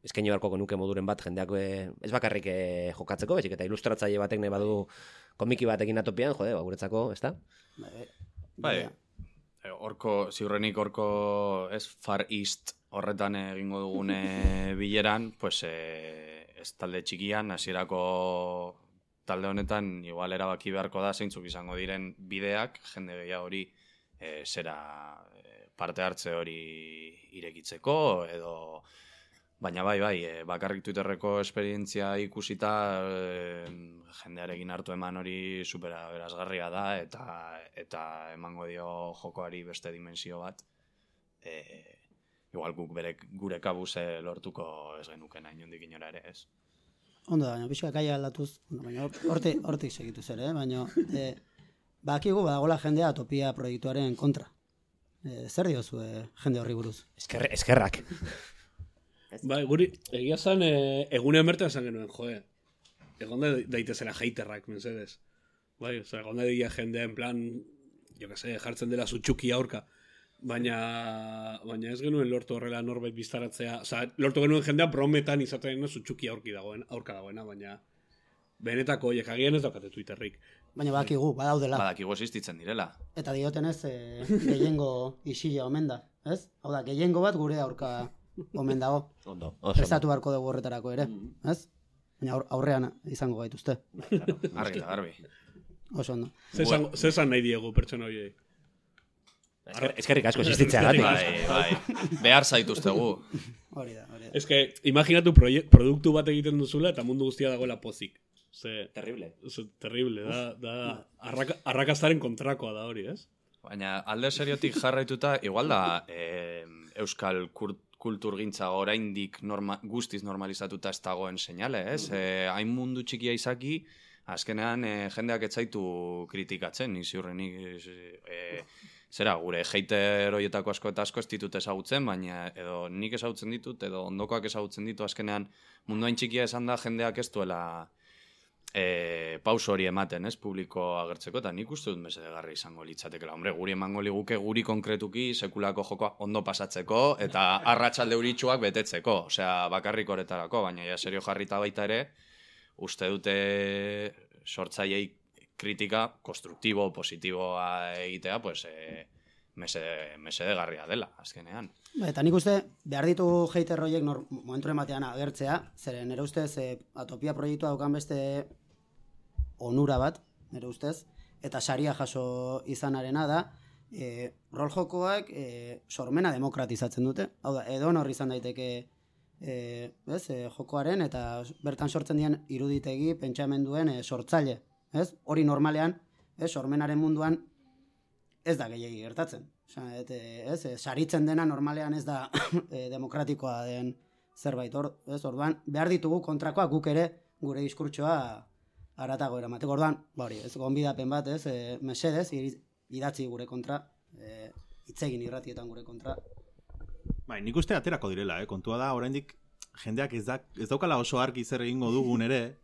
eskaini beharko genuke moduren bat, jendeak ez bakarrik jokatzeko, bezik eta ilustratzaile batek nahi badu komiki batekin atopian, guretzako, ez da? Bai, ziurrenik horko Far East horretan egingo dugune bileran, pues ez talde txikian, hasierako talde honetan igual erabaki beharko da zeintzuk izango diren bideak, jende gehiago hori zera parte hartze hori irekitzeko, edo baina bakarrik Twitterreko esperientzia ikusita jendearekin hartu eman hori supera berazgarria da, eta emango dio jokoari beste dimensio bat, igual guk gure kabuz lortuko ez genukena inondik inora ere, ez? Ondo, baina pixka kaia aldatuz, baina hortik segitu ere, baina bakigu badagola jendea Atopia proiektuaren kontra. Zer diozu jende horri buruz? Eskerrak. Bai, guri, egia zan, egunean bertan esan genuen, egonde daitezela haterrak, mensedez. Bai, egonde dira jendea en plan, jartzen dela zutxuki aurka. Baina ez genuen lortu horrela norbait biztaratzea, lortu genuen jendea brometan izaten zutxuki aurka dagoena, baina benetako horiek agian ez daukate Twitterrik. Baina badakigu, badaudela. Badakigu existitzen direla. Eta diotenez gehiengo isila omen da, ez? Hau da, gehiengo bat gure aurka omen dago. Ondo. Prestatu beharko dugu horretarako ere, ez? Baina aurrean izango gaituzte. Argi da, garbi. Oso ondo. Zezan nahi diegu pertsona horiei. Eskerrik asko existitzea gati. Bai, behar zaituztegu. Hori da. Ez que, imaginatu produktu bat egiten duzula eta mundu guztia dagoela pozik. Terrible. Terrible, da arrakastaren kontrakoa da hori, ez? Baina alde seriotik jarraituta, igual da euskal kulturgintza oraindik guztiz normalizatuta ez dagoen seinale, ez? Hain mundu txikia izaki, azkenean jendeak ez zaitu kritikatzen, ziurrenik gure hater horietako asko eta asko ez ditut ezagutzen, baina edo nik ezagutzen ditut, edo ondokoak ezagutzen ditu, azkenean mundu hain txikia esan da jendeak ez duela pauso hori ematen, ez, publiko agertzeko, eta nik uste dut mesedegarri izango litzatekela. Hombre, guri emango liguke guri konkretuki sekulako jokoa ondo pasatzeko, eta arratsalde euritsuak betetzeko, osea, bakarrik horretarako, baina ja serio jarrita baita ere, uste dute sortzaileei kritika konstruktibo, positiboa egitea, pues, mesedegarria dela, azkenean. Eta nik uste, behar ditugu hater horiek momenturen batean agertzea, zeren nire ustez Atopia proiektua daukan beste onura bat, nire ustez, eta saria jaso izanarena da, rol jokoak sormena demokratizatzen dute. Hau da, edonor izan daiteke jokoaren eta bertan sortzen dian iruditegi pentsamenduen sortzaile. Hori normalean, sormenaren munduan ez da gehiegi gertatzen. Saritzen dena normalean ez da demokratikoa den zerbait. Orduan, behar ditugu kontrakoa guk ere gure diskurtsoa haratago eramateko. Orduan, gonbidapen bat, mesedez, idatzi gure kontra, hitzegin irratietan gure kontra. Bai, nik uste aterako direla, kontua da, oraindik jendeak ez daukala oso argi zer egingo dugun ere,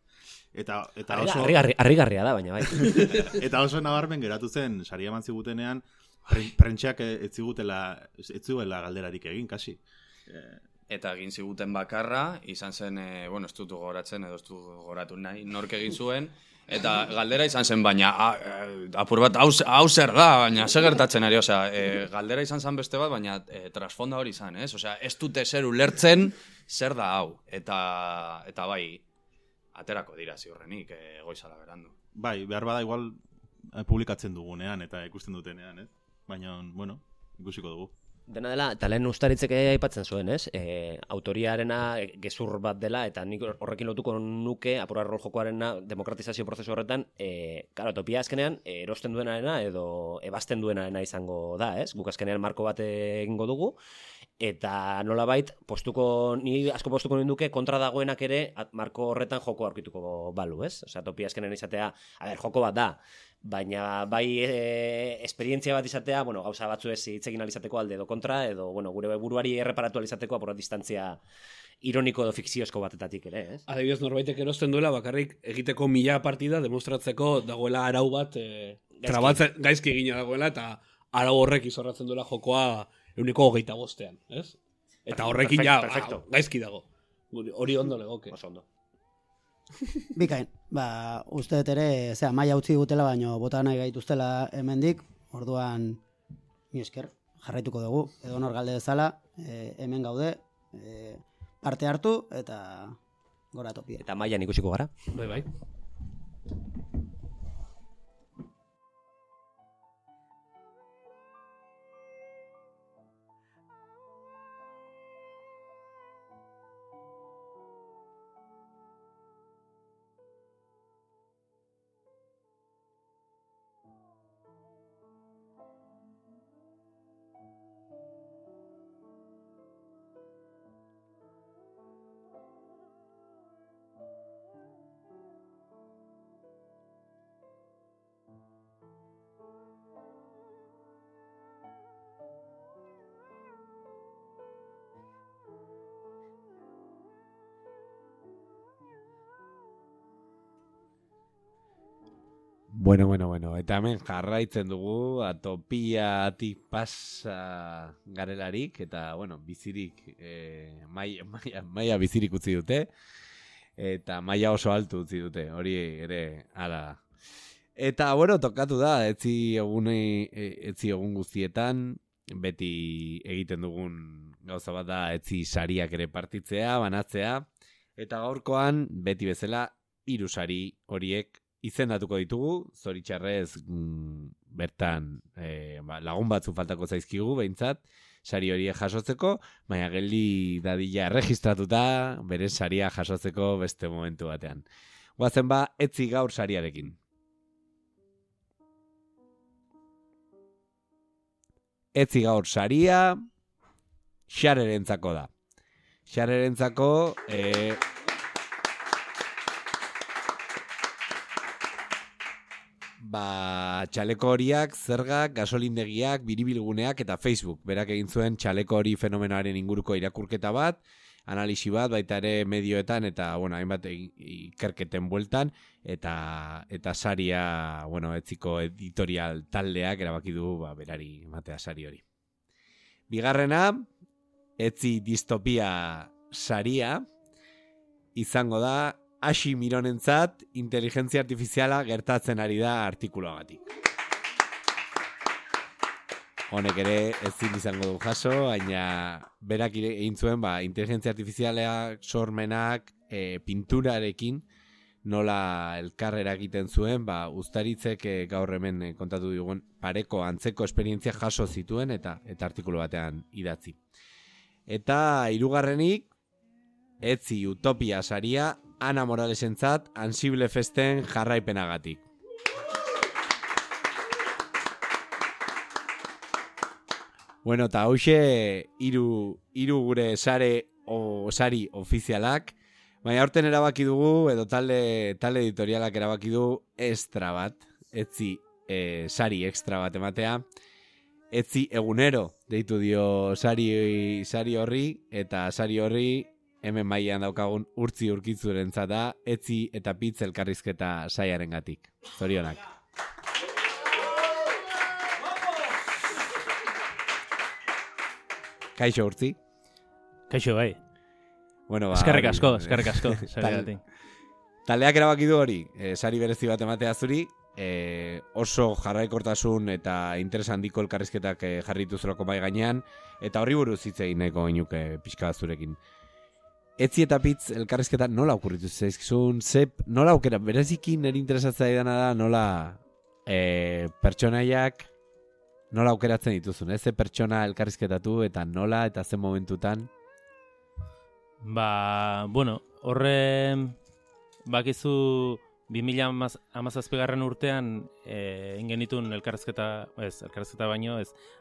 eta oso... Harrigarria da, baina bai. Eta oso nabarmen geratu zen, saria eman zigutenean, prentxeak ez ziguela galderarik egin, kasi. Eta egin ziguten bakarra, izan zen, ez dut gogoratzen, edo ez dut gogoratu nahi, nork egin zuen, eta galdera izan zen, baina apur bat, hau zer da, baina zer gertatzen ari, galdera izan zen beste bat, baina trasfonda hori izan, ez? Ez dute zer ulertzen, zer da hau, eta bai, aterako dira ziurrenik, goizala berandu. Bai, behar bada igual publikatzen dugunean, eta ikusten dutenean, ez? Baina, ikusiko dugu. Dena dela, eta lehen ustaritzeke aipatzen zuen, ez? Autoriarena gezur bat dela, eta nik horrekin lotuko nuke, apurra rol jokoarena demokratizazio prozesu horretan, topia azkenean, erosten duenarena edo ebazten duenarena izango da, ez? Guk azkenean marko bat egingo dugu, eta nolabait, ni asko postuko ninduke, kontra dagoenak ere, marko horretan joko aurkituko balu, ez? Topia azkenean izatea, joko bat da, baina bai esperientzia bat izatea, gauza batzu ez hitzegin alizateko alde edo kontra, edo gure buruari erreparatu alizateko apura distantzia ironiko edo fikziozko batetatik ere, ez? Adibidez, norbaitek erosten duela bakarrik egiteko 1000 partida demostratzeko dagoela arau bat trabatzen gaizki egina dagoela, eta arau horrek izorratzen duela jokoa 125ean, ez? Eta horrekin gaizki dago. Hori ondo legoke. Oso ondo. Bikain, uste dut ere, maila utzi gutela, baino bota nahi gaituztela hemendik, orduan, mi esker, jarraituko dugu, edo nor galde bezala, hemen gaude, parte hartu, eta gora topia. Eta mailan ikusiko gara. Bai. Bueno, eta hemen jarraitzen dugu, atopiatik pasa garelarik, eta, bizirik, maia bizirik utzi dute, eta maia oso altu utzi dute, hori ere, ala. Eta, tokatu da, etzi egun guztietan, beti egiten dugun gauza bat da, etzi sariak ere partitzea, banatzea, eta gaurkoan, beti bezala, 3 sari horiek izendatuko ditugu, zoritxarrez bertan lagun batzu faltako zaizkigu, behintzat, sari horiek jasotzeko, baina geldi dadila erregistratuta, bere saria jasotzeko beste momentu batean. Guazen etzi gaur sariarekin. Etzi gaur saria, Xarerentzako da. Xarerentzako... txaleko horiak, zergak, gasolindegiak, biribilguneak eta Facebook. Berak egin zuen txaleko hori fenomenoaren inguruko irakurketa bat, analisi bat, baita ere medioetan eta, hainbat ikerketen bueltan, eta saria, etziko editorial taldeak erabaki du, berari ematea sari hori. Bigarrena, etzi distopia saria, izango da, Asi Mironentzat, inteligentzia artifiziala gertatzen ari da artikuluagatik. Honek ere ezin izango du jaso, baina berak egin zuen inteligentzia artifiziala sormenak pinturarekin nola elkarrera egiten zuen, Uztaritzek gaur hemen kontatu digun pareko antzeko esperientzia jaso zituen eta artikulu batean idatzi. Eta hirugarrenik, Etzi Utopia saria Ana Moralesentzat Ansible Festen jarraipenagatik. Bueno, eta hauxe hiru gure sari ofizialak, baina aurten erabaki dugu, edo talde editorialak erabaki du extra bat, Etzi sari extra bat ematea, Etzi egunero deitu dio sari horri, eta sari horri hemen mailan daukagun Urtzi Urkitzurentzat da, Etzi eta Pitz elkarrizketa saiarengatik. Zorionak. Kaixo, Urtzi. Kaixo, bai. Bueno, eskerrik asko. Taldeak erabaki du hori, sari berezi bat ematea zuri, oso jarraikortasun eta interes handiko elkarrizketak jarritu zurako bai gainean, eta horri buruz hitz egin nahiko ginuke pixka bat zurekin. Etzi eta Pitz elkarrizketa nola okurritu zaizkizun, nola aukera, bereziki nire interesatzea idana da, nola pertsonaiak nola aukeratzen dituzun, ze pertsona elkarrizketatu eta nola eta zen momentutan? Bueno, horre bakizu 2017 urtean ingenitun elkarrizketa baino,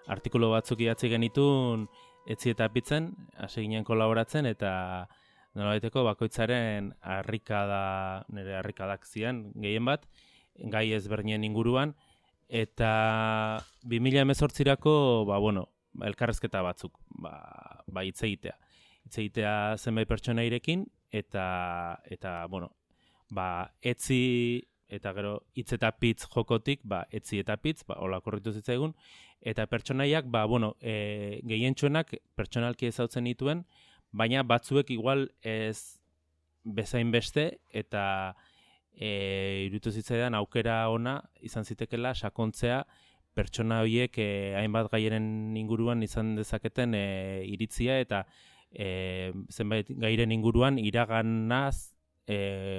artikulu batzuk idatzi genitun Etzi eta Pitzen, hasi ginen kolaboratzen, eta nolabaiteko bakoitzaren nire harrikadak zian, gehien bat, gai ezberdinen inguruan, eta 2018rako, elkarrizketa batzuk, hitz egitea. Hitz egitea zenbait pertsonairekin, eta Etzi eta gero Hitz eta Pitz jokotik, Etzi eta Pitz, hola korritu zitzaigun, eta pertsonaiak, gehientsuenak pertsonalki ezautzen dituen, baina batzuek igual ez bezain beste, eta iruditu zitzaidan aukera ona izan zitekela sakontzea pertsona horiek hainbat gairen inguruan izan dezaketen iritzia, eta zenbait gairen inguruan iraganaz,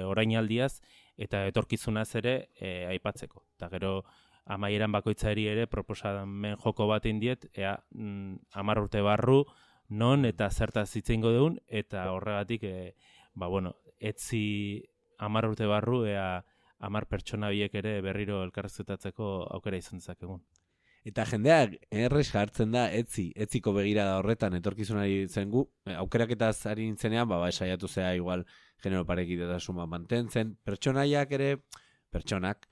orainaldiaz eta etorkizunaz ere aipatzeko. Eta gero amaieran bakoitzari ere proposamen joko bat indiet, 10 urte barru non eta zertaz hitz egingo dugun, eta horregatik Etzi 10 urte barru 10 pertsona biek ere berriro elkarrizketatzeko aukera izan dezakegun. Eta jendeak errez jartzen da etziko begirada horretan etorkizunari zen gu, aukeraketaz ari nintzenean, saiatu zea igual genero parekidetasun mantentzen, pertsonaiak ere, pertsonak,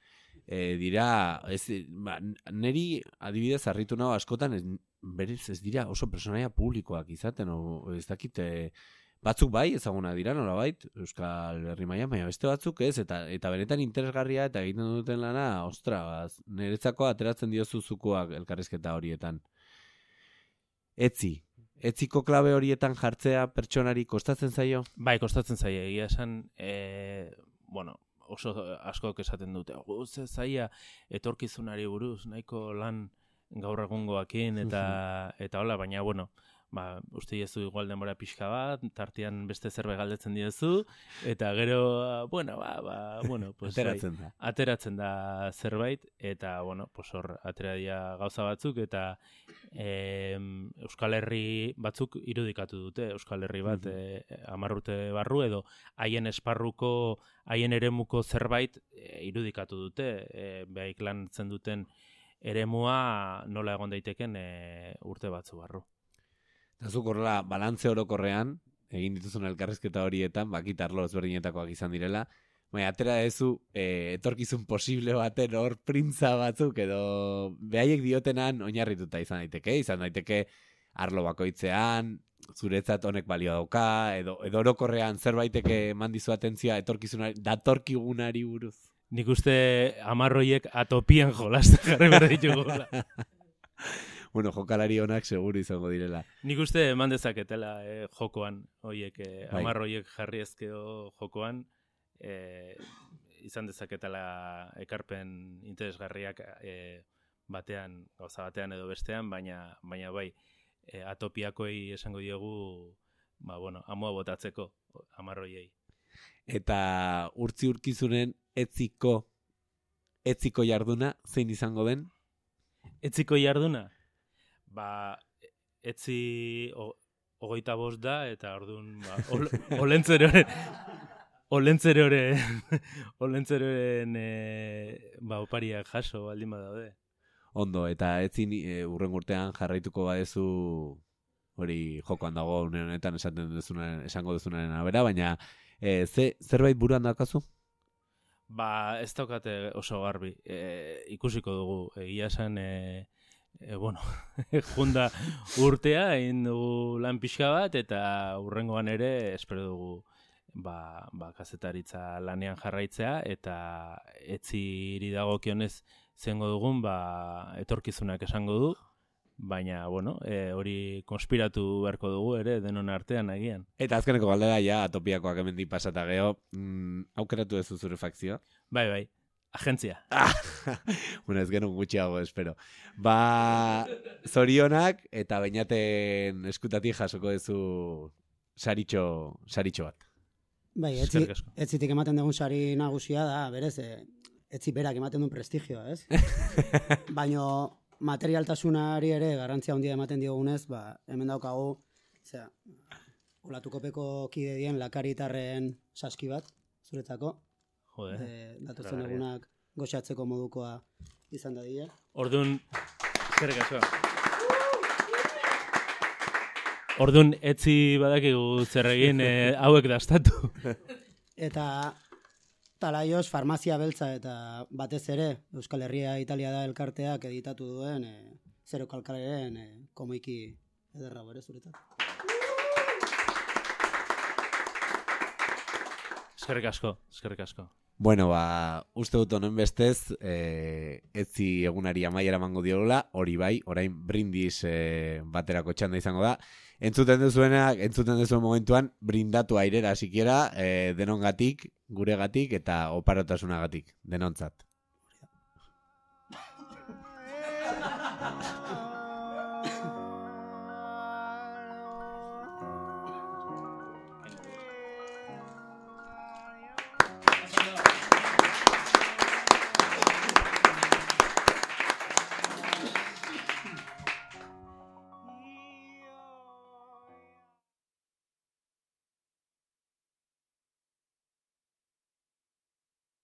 dira, neri adibidez harritu nago askotan, ez dira oso pertsonaia publikoak izaten, ez dakit, batzuk bai ezaguna dira nolabait Euskal Herri mailan, baina beste batzuk ez, eta benetan interesgarria eta egiten duten lana, niretzako ateratzen diozu zukuak elkarrizketa horietan. Etziko klabe horietan jartzea pertsonari kostatzen zaio? Bai, kostatzen zaio, egia esan, oso askok esaten dute, ze zaia etorkizunari buruz, nahiko lan gaur egungoakin, eta hola, baina, uste diezu igual denbora pixka bat, tartean beste zerbait galdetzen diezu, eta gero, ateratzen da zerbait, eta, hor, atera dira gauza batzuk, eta Euskal Herri batzuk irudikatu dute, Euskal Herri bat 10 urte barru, edo haien esparruko, haien eremuko zerbait irudikatu dute, behaik lan zen duten eremua nola egon daiteken urte batzu barru. Zuk horrela, balantze orokorrean, egin dituzun elkarrizketa horietan, bakitarlo ezberdinetakoak izan direla, atera dezu etorkizun posible baten hor printza batzuk, edo behaiek diotenan oinarrituta izan daiteke arlo bakoitzean, zuretzat honek balio dauka, edo orokorrean zerbaiteke mandizu atentzioa etorkizunari, datorkigunari buruz. Nik uste 10 horiek atopian jolasten jarri behar ditugula. Jokalari honak seguru izango direla. Nik uste eman dezaketela jokoan, 10 horiek jarri ezkeo jokoan, izan dezaketela ekarpen interesgarriak gauza batean edo bestean, baina bai, atopiakoi esango diogu, amua botatzeko 10 horiei. Eta urkizunen etziko jarduna zein izango den? Etziko jarduna? Ba, etzi 25 da, eta orduan, olentzeroren opariak jaso baldin badaude. Ondo, eta etzin urren urtean jarraituko badezu hori jokoan dago une honetan esango duzunaren abera, baina zerbait buruan daukazu? Ba, ez daukate oso garbi. Ikusiko dugu, egia esan, junda urtea, egin dugu lan pixka bat, eta urrengoan ere, espero dugu, kazetaritza lanean jarraitzea, eta etziri dagokionez zengo dugun, etorkizunak esango du, baina, hori konspiratu beharko dugu ere, denon artean agian. Eta azkeneko galdera, ja, atopiakoak hemendik pasata geho, aukeratu ez zure fakzioa? Bai, agentzia. Bueno, ez genuen gutxiago, espero. Zorionak, eta bainaten eskutatik jasoko duzu saritxo bat. Bai, etzitik ematen dugun sari nagusia da, berez, etzi berak ematen duen prestigioa, ez? Baina materialtasunari ere garrantzia handia ematen diogunez, hemen daukagu, olatukopeko kide dien lakaritarren saski bat, zuretzako. Jode. Datozen egunak goxatzeko modukoa izan da dira. Orduan, eskerrik asko. Orduan, etzi badakigu zer egin hauek dastatu. Eta Talaioz farmazia beltza eta batez ere Euskal Herria Italia da elkarteak editatu duen Zero Kalkaleren komoiki ederra bere zuretzat. Eskerrik asko. Bueno, uste dut honen bestez, etzi egunari amaiera emango diola, hori bai, orain brindis baterako txanda izango da. Entzuten duzuen momentuan, brindatu airera, sikiera, denongatik, guregatik eta oparotasunagatik, denontzat.